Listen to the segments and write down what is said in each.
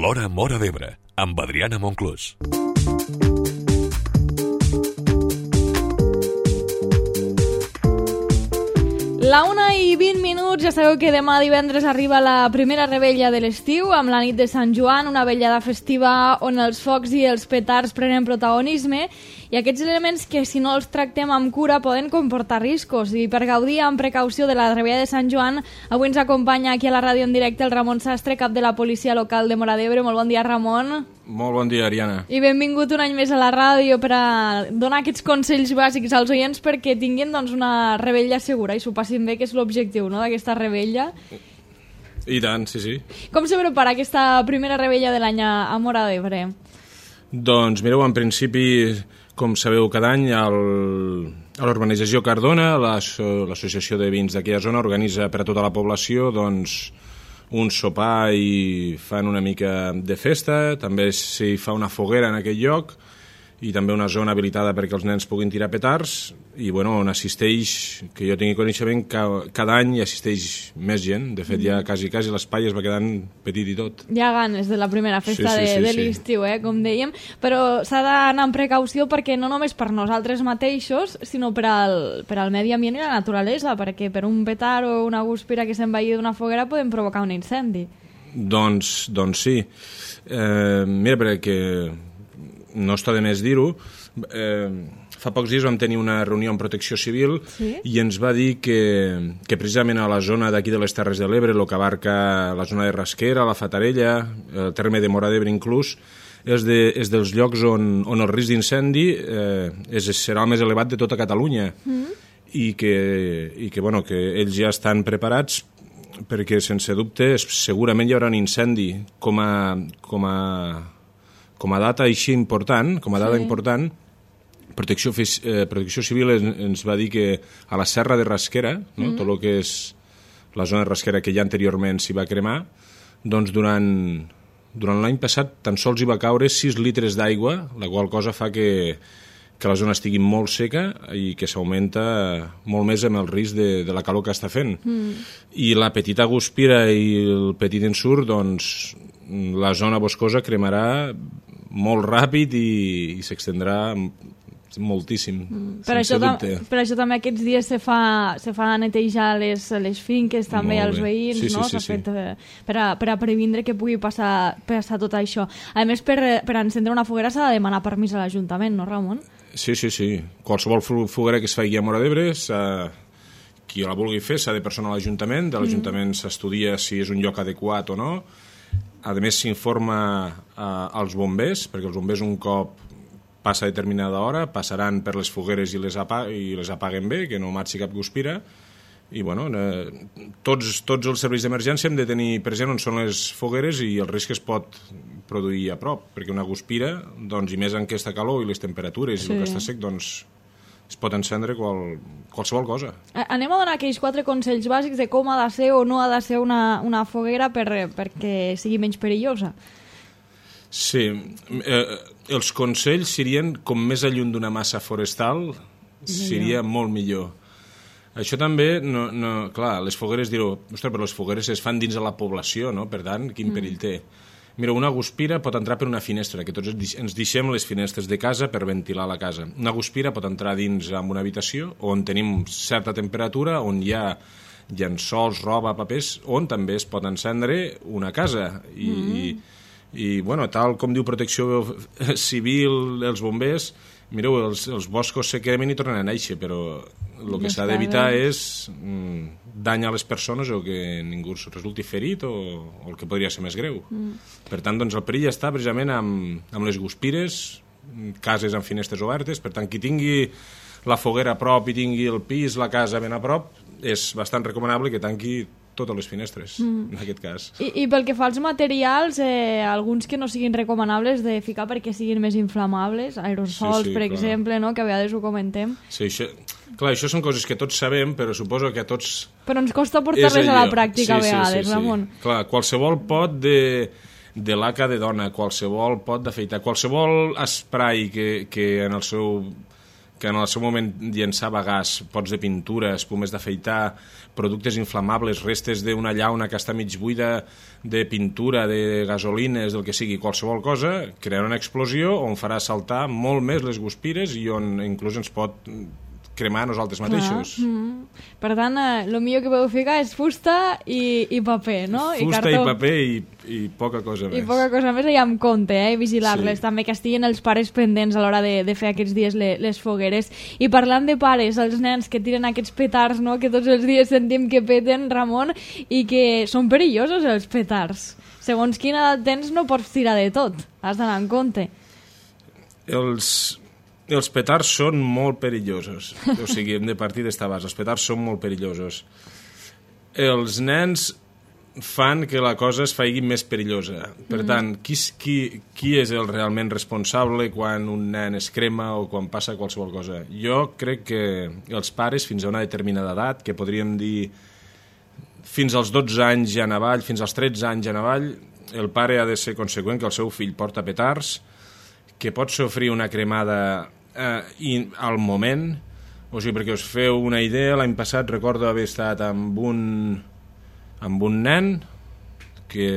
L'Hora Móra d'Ebre, amb Adriana Monclús. La 1:20, ja sabeu que demà divendres arriba la primera rebella de l'estiu, amb la nit de Sant Joan, una vetllada festiva on els focs i els petards prenen protagonisme, i aquests elements que, si no els tractem amb cura, poden comportar riscos. I per gaudir amb precaució de la rebella de Sant Joan, avui ens acompanya aquí a la ràdio en directe el Ramon Sastre, cap de la policia local de Móra d'Ebre. Molt bon dia, Ramon. Molt bon dia, Ariana. I benvingut un any més a la ràdio per a donar aquests consells bàsics als oients perquè tinguin una rebella segura i s'ho passin bé, que és l'objectiu, no?, d'aquesta rebella. I tant, sí, sí. Com se prepara aquesta primera rebella de l'any a Móra d'Ebre? Doncs mireu, en principi, com sabeu, cada any a l'urbanització Cardona, l'associació de vins d'aquella zona organitza per a tota la població un sopar i fan una mica de festa, també s'hi fa una foguera en aquell lloc i també una zona habilitada perquè els nens puguin tirar petards i bueno, on assisteix, que jo tingui coneixement, cada any hi assisteix més gent. De fet, ja quasi l'espai es va quedant petit i tot. Hi ha ganes de la primera festa de l'estiu, com dèiem, però s'ha d'anar amb precaució perquè no només per nosaltres mateixos, sinó per al medi ambient i la naturalesa, perquè per un petard o una guspira que s'envaï d'una foguera poden provocar un incendi. Doncs sí. Mira, perquè no està de més dir-ho, fa pocs dies vam tenir una reunió amb Protecció Civil i ens va dir que precisament a la zona d'aquí de les Terres de l'Ebre, el que abarca la zona de Rasquera, la Fatarella, el terme de Móra d'Ebre inclús, és dels llocs on el risc d'incendi serà el més elevat de tota Catalunya i que ells ja estan preparats perquè sense dubte segurament hi haurà un incendi com a data així important, important, Protecció Civil ens va dir que a la serra de Rasquera, no? Tot el que és la zona de Rasquera que ja anteriorment s'hi va cremar, doncs durant l'any passat tan sols hi va caure 6 litres d'aigua, la qual cosa fa que la zona estigui molt seca i que s'augmenta molt més amb el risc de la calor que està fent. I la petita guspira i el petit ensurt, doncs la zona boscosa cremarà molt ràpid i s'extendrà moltíssim, sense dubte. Per això també aquests dies se fa netejar les finques també als veïns, no? S'ha fet per a previndre que pugui passar tot això. A més, per encendre una foguera s'ha de demanar permís a l'Ajuntament, no, Ramon? Sí. Qualsevol foguera que es faci a Móra d'Ebre, qui la vulgui fer s'ha de personar a l'Ajuntament, de l'Ajuntament s'estudia si és un lloc adequat o no. A més, s'informa als bombers, perquè els bombers un cop passa determinada hora passaran per les fogueres i les apaguen bé, que no marxi cap guspira. I bueno, tots els serveis d'emergència hem de tenir present on són les fogueres i el risc que es pot produir a prop, perquè una guspira, doncs, i més en aquesta calor i les temperatures i el que està sec, doncs es pot encendre qualsevol cosa. Anem a donar aquells 4 consells bàsics de com ha de ser o no ha de ser una foguera perquè sigui menys perillosa. Sí, els consells serien com més lluny d'una massa forestal seria molt millor. Això també, clar, les fogueres direu, ostres, però les fogueres es fan dins de la població, no? Per tant, quin perill té? Mira, una guspira pot entrar per una finestra, que tots ens deixem les finestres de casa per ventilar la casa. Una guspira pot entrar dins en una habitació on tenim certa temperatura, on hi ha llençols, roba, papers, on també es pot encendre una casa. I bueno, tal com diu Protecció Civil, els bombers, mireu, els boscos se cremen i tornen a néixer, però el que s'ha d'evitar és dany a les persones o que ningú resulti ferit o el que podria ser més greu. Per tant, doncs, el perill està precisament amb les guspires, cases amb finestres obertes. Per tant, qui tingui la foguera a prop i tingui el pis, la casa ben a prop, és bastant recomanable que tanqui totes les finestres, en aquest cas. I pel que fa als materials, alguns que no siguin recomanables de ficar perquè siguin més inflamables, aerosols, per exemple, no? Que a vegades ho comentem. Sí, això són coses que tots sabem, però suposo que a tots... Però ens costa portar-les a la pràctica a vegades, Ramon. Clar, qualsevol pot de laca de dona, qualsevol pot d'afeitar, qualsevol esprai que en el seu que en el seu moment llançava gas, pots de pintura, espumes d'afeitar, productes inflamables, restes d'una llauna que està mig buida de pintura, de gasolines, del que sigui, qualsevol cosa, crearà una explosió on farà saltar molt més les guspires i on inclús ens pot cremar nosaltres mateixos. Per tant, el millor que podeu ficar és fusta i paper, no? Fusta i paper i poca cosa més. I poca cosa més, i amb compte, i vigilar-les. Sí. També que estiguin els pares pendents a l'hora de fer aquests dies les fogueres. I parlant de pares, els nens que tiren aquests petards, no?, que tots els dies sentim que peten, Ramon, i que són perillosos els petards. Segons quina edat tens no pots tirar de tot, has d'anar en compte. Els petards són molt perillosos. O sigui, hem de partir d'esta base. Els petards són molt perillosos. Els nens fan que la cosa es faci més perillosa. Per tant, qui és el realment responsable quan un nen es crema o quan passa qualsevol cosa? Jo crec que els pares, fins a una determinada edat, que podríem dir fins als 12 anys ja en avall, fins als 13 anys en avall, el pare ha de ser conseqüent que el seu fill porta petards, que pot sofrir una cremada al moment, o sigui, perquè us feu una idea, l'any passat recordo haver estat amb un nen que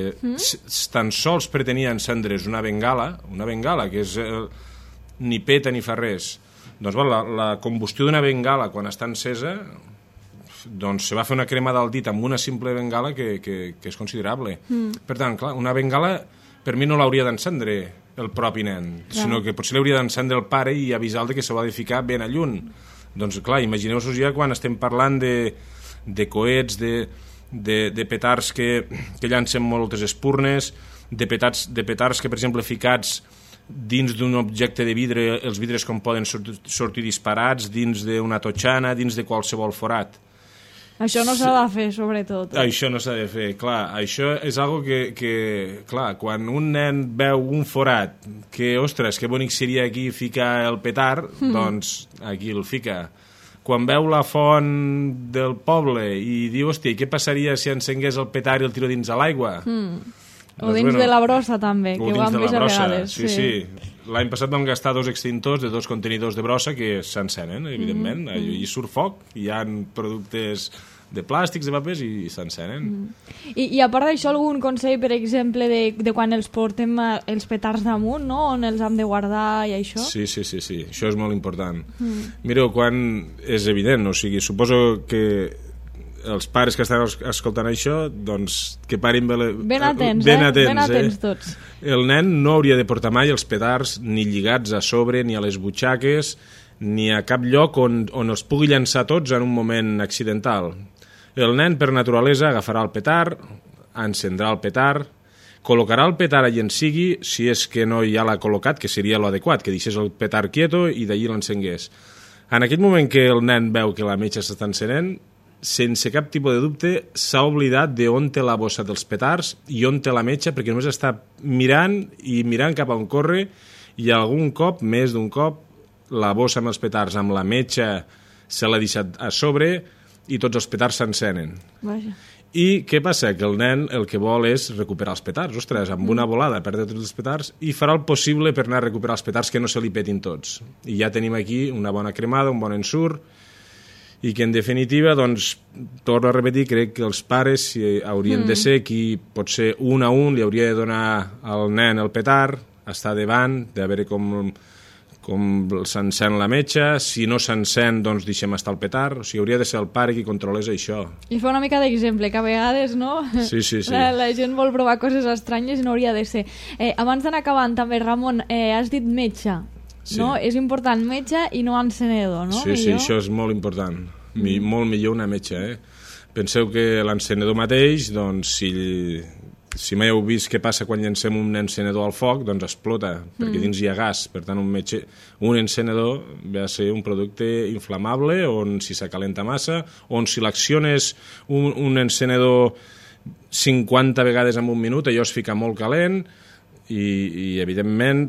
tan sols pretenia encendre's una bengala que és ni peta ni fa res. Doncs la combustió d'una bengala quan està encesa, doncs se va fer una cremada al dit amb una simple bengala que és considerable. Per tant, clar, una bengala per mi no l'hauria d'encendre el propi nen, sinó que potser l'hauria d'encendre el pare i avisar-lo que se va de ficar ben a lluny. Doncs clar, imagineu-vos ja quan estem parlant de coets, de petards que llancen moltes espurnes, de petards que, per exemple, ficats dins d'un objecte de vidre, els vidres com poden sortir disparats, dins d'una totxana, dins de qualsevol forat. Això no s'ha de fer, sobretot. Això no s'ha de fer, clar. Això és algo que clar, quan un nen veu un forat, que, ostres, que bonic seria aquí ficar el petard, doncs aquí el fica. Quan veu la font del poble i diu, hòstia, què passaria si encengués el petard i el tiro dins de l'aigua? O dins de la brossa, també, que ho han vist a vegades. Sí. L'any passat vam gastar 2 extintors de 2 contenidors de brossa que s'encenen, evidentment. Hi surt foc, hi ha productes de plàstics, de papers i s'encenen. I a part d'això, algun consell, per exemple, de quan els portem els petards damunt, no?, on els hem de guardar i això? Sí, això és molt important. Mireu, quan és evident, o sigui, suposo que els pares que estan escoltant això, doncs que parin ben atents tots. El nen no hauria de portar mai els petards ni lligats a sobre, ni a les butxaques, ni a cap lloc on els pugui llançar tots en un moment accidental. El nen, per naturalesa, agafarà el petard, encendrà el petard, col·locarà el petard allà en sigui, si és que no ja l'ha col·locat, que seria l'adequat, que deixés el petard quieto i d'allí l'encengués. En aquell moment que el nen veu que la metxa s'està encenent, sense cap tipus de dubte, s'ha oblidat d'on té la bossa dels petards i on té la metxa, perquè només està mirant cap a on corre, i algun cop, més d'un cop, la bossa amb els petards, amb la metxa, se l'ha deixat a sobre i tots els petards s'encenen. Vaja. I què passa? Que el nen el que vol és recuperar els petards. Ostres, amb una volada perdre tots els petards i farà el possible per anar a recuperar els petards que no se li petin tots. I ja tenim aquí una bona cremada, un bon ensurt, i que en definitiva, doncs, torno a repetir, crec que els pares haurien de ser qui, potser un a un, li hauria de donar al nen el petard, estar davant, de veure com s'encén la metxa, si no s'encén, doncs deixem estar el petard, o sigui, hauria de ser el pare qui controlés això. I fa una mica d'exemple, que a vegades, no? Sí. La gent vol provar coses estranyes i no hauria de ser. Abans d'anar acabant, també, Ramon, has dit metge. Sí. No? És important metge i no encenedor, no? Sí, això és molt important. Molt millor una metge, Penseu que l'encenedor mateix, doncs, si mai heu vist què passa quan llancem un encenedor al foc, doncs explota, perquè dins hi ha gas. Per tant, un encenedor ve a ser un producte inflamable, on si s'acalenta massa, on si l'acciones un encenedor 50 vegades en un minut, allò es fica molt calent, i evidentment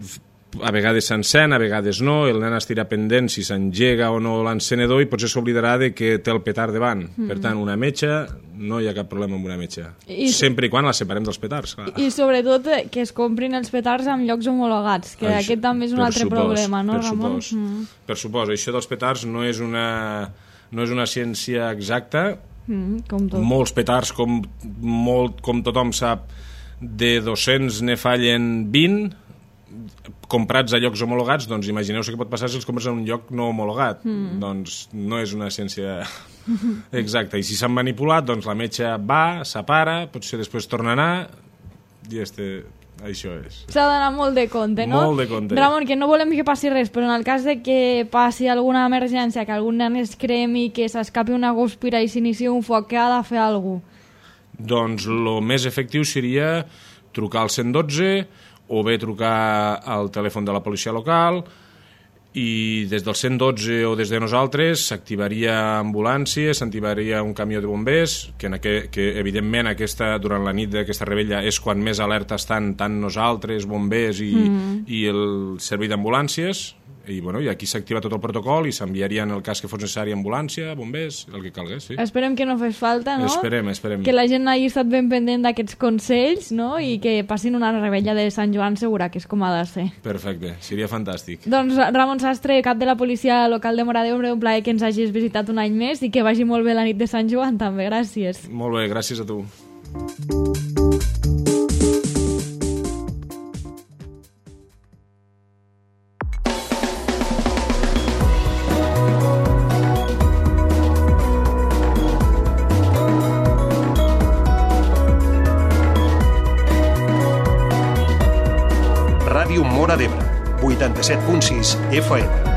a vegades s'encén, a vegades no, el nen estirà pendent si s'engega o no l'encenedor i potser s'oblidarà de que té el petard davant. Per tant, una metxa no hi ha cap problema amb una metxa. Sempre i quan la separem dels petards, clar. I sobretot que es comprin els petards en llocs homologats, que aquest també és un altre problema, no, Ramon? Per supòs, això dels petards no és una ciència exacta. Com tot. Molts petards, com tothom sap, de 200 ne fallen 20, comprats a llocs homologats. Doncs imagineu-vos què pot passar si els compres en un lloc no homologat. Doncs no és una ciència exacta. I si s'han manipulat, doncs la metxa va, separa, potser després torna a anar, i això és. S'ha d'anar molt de compte, no? Molt de compte. Ramon, que no volem que passi res, però en el cas de que passi alguna emergència, que algun nen es cremi, que s'escapi una guspira i s'inici un foc, què ha de fer algú? Doncs el més efectiu seria trucar al 112 o bé trucar al telèfon de la policia local, i des del 112 o des de nosaltres s'activaria ambulància, s'activaria un camió de bombers, que evidentment durant la nit d'aquesta rebella és quan més alerta estan tant nosaltres, bombers i el servei d'ambulàncies, i aquí s'activa tot el protocol i s'enviaria en el cas que fos necessari ambulància, bombers, el que calgués, sí. Esperem que no fes falta, no? Esperem. Que la gent hagi estat ben pendent d'aquests consells, no? I que passin una rebella de Sant Joan segura, que és com ha de ser. Perfecte, seria fantàstic. Doncs Ramon Sastre, cap de la policia local de Móra d'Ebre, un plaer que ens hagis visitat un any més i que vagi molt bé la nit de Sant Joan també, gràcies. Molt bé, gràcies a tu. Ràdio Móra d'Ebre, 87.6 FM.